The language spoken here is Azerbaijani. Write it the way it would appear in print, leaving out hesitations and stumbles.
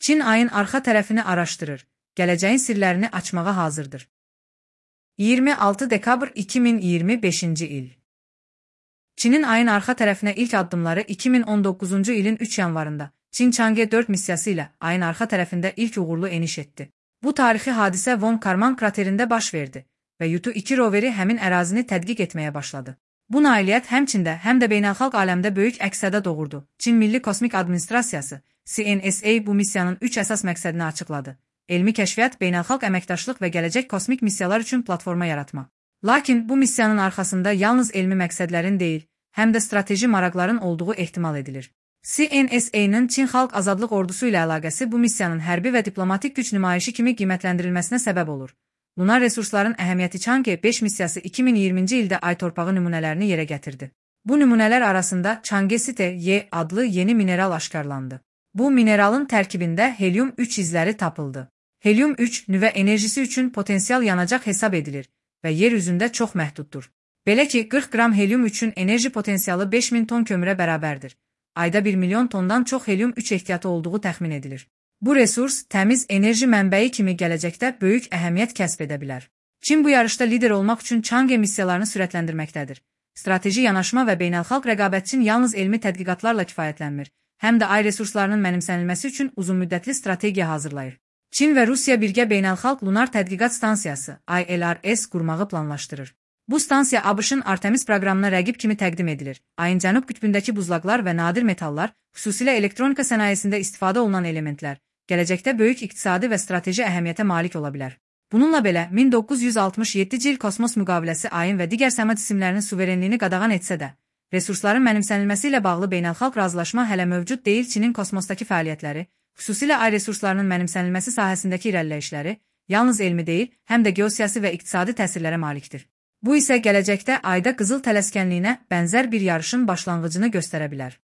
Çin ayın arxa tərəfini araşdırır, gələcəyin sirlərini açmağa hazırdır. 26 dekabr 2025-ci il. Çinin ayın arxa tərəfinə ilk addımları 2019-cu ilin 3 yanvarında Çin Chang'e 4 missiyası ilə ayın arxa tərəfində ilk uğurlu eniş etdi. Bu tarixi hadisə Von Karman kraterində baş verdi və Yutu-2 roveri həmin ərazini tədqiq etməyə başladı. Bu nailiyyət həmçində həm də beynəlxalq aləmdə böyük əks-səda doğurdu. Çin Milli Kosmik Administrasiyası CNSA bu missiyanın 3 əsas məqsədini açıqladı. Elmi kəşfiyyat, beynəlxalq əməkdaşlıq və gələcək kosmik missiyalar üçün platforma yaratmaq. Lakin bu missiyanın arxasında yalnız elmi məqsədlərin deyil, həm də strateji maraqların olduğu ehtimal edilir. CNSA-nın Çin Xalq Azadlıq Ordusu ilə əlaqəsi bu missiyanın hərbi və diplomatik güc nümayişi kimi qiymətləndirilməsinə səbəb olur. Lunar resursların əhəmiyyəti Chang'e 5 missiyası 2020-ci ildə ay torpağı nümunələrini yerə gətirdi. Bu nümunələr arasında Changesite-Y adlı yeni mineral aşkarlandı. Bu mineralın tərkibində helyum-3 izləri tapıldı. Helyum-3 nüvə enerjisi üçün potensial yanacaq hesab edilir və yer üzündə çox məhduddur. Belə ki, 40 qram helyum-3-ün enerji potensialı 5000 ton kömürə bərabərdir. Ayda 1 milyon tondan çox helyum-3 ehtiyatı olduğu təxmin edilir. Bu resurs təmiz enerji mənbəyi kimi gələcəkdə böyük əhəmiyyət kəsb edə bilər. Çin bu yarışda lider olmaq üçün Chang'e missiyalarını sürətləndirməkdədir. Strateji yanaşma və beynəlxalq rəqabət üçün yalnız elmi tədqiqatlarla kifayətlənmir, həm də ay resurslarının mənimsənilməsi üçün uzunmüddətli strategiya hazırlayır. Çin və Rusiya birgə beynəlxalq lunar tədqiqat stansiyası ILRS qurmağı planlaşdırır. Bu stansiya ABŞ-ın Artemis proqramına rəqib kimi təqdim edilir. Ayın cənub qütbündəki buzlaqlar və nadir metallar, xüsusilə elektronika sənayesində istifadə olunan elementlər, gələcəkdə böyük iqtisadi və strateji əhəmiyyətə malik ola bilər. Bununla belə, 1967-ci il kosmos müqaviləsi ayın və digər səma cisimlərinin suverenliyini qadağan etsə də, resursların mənimsənilməsi ilə bağlı beynəlxalq razılaşma hələ mövcud deyil. Çinin kosmosdakı fəaliyyətləri, xüsusilə ay resurslarının mənimsənilməsi sahəsindəki irəliləyişləri, yalnız elmi deyil, həm də geosiyasi və iqtisadi təsirlərə malikdir. Bu isə gələcəkdə ayda qızıl tələskənliyinə bənzər bir yarışın başlanğıcını göstərə bilər.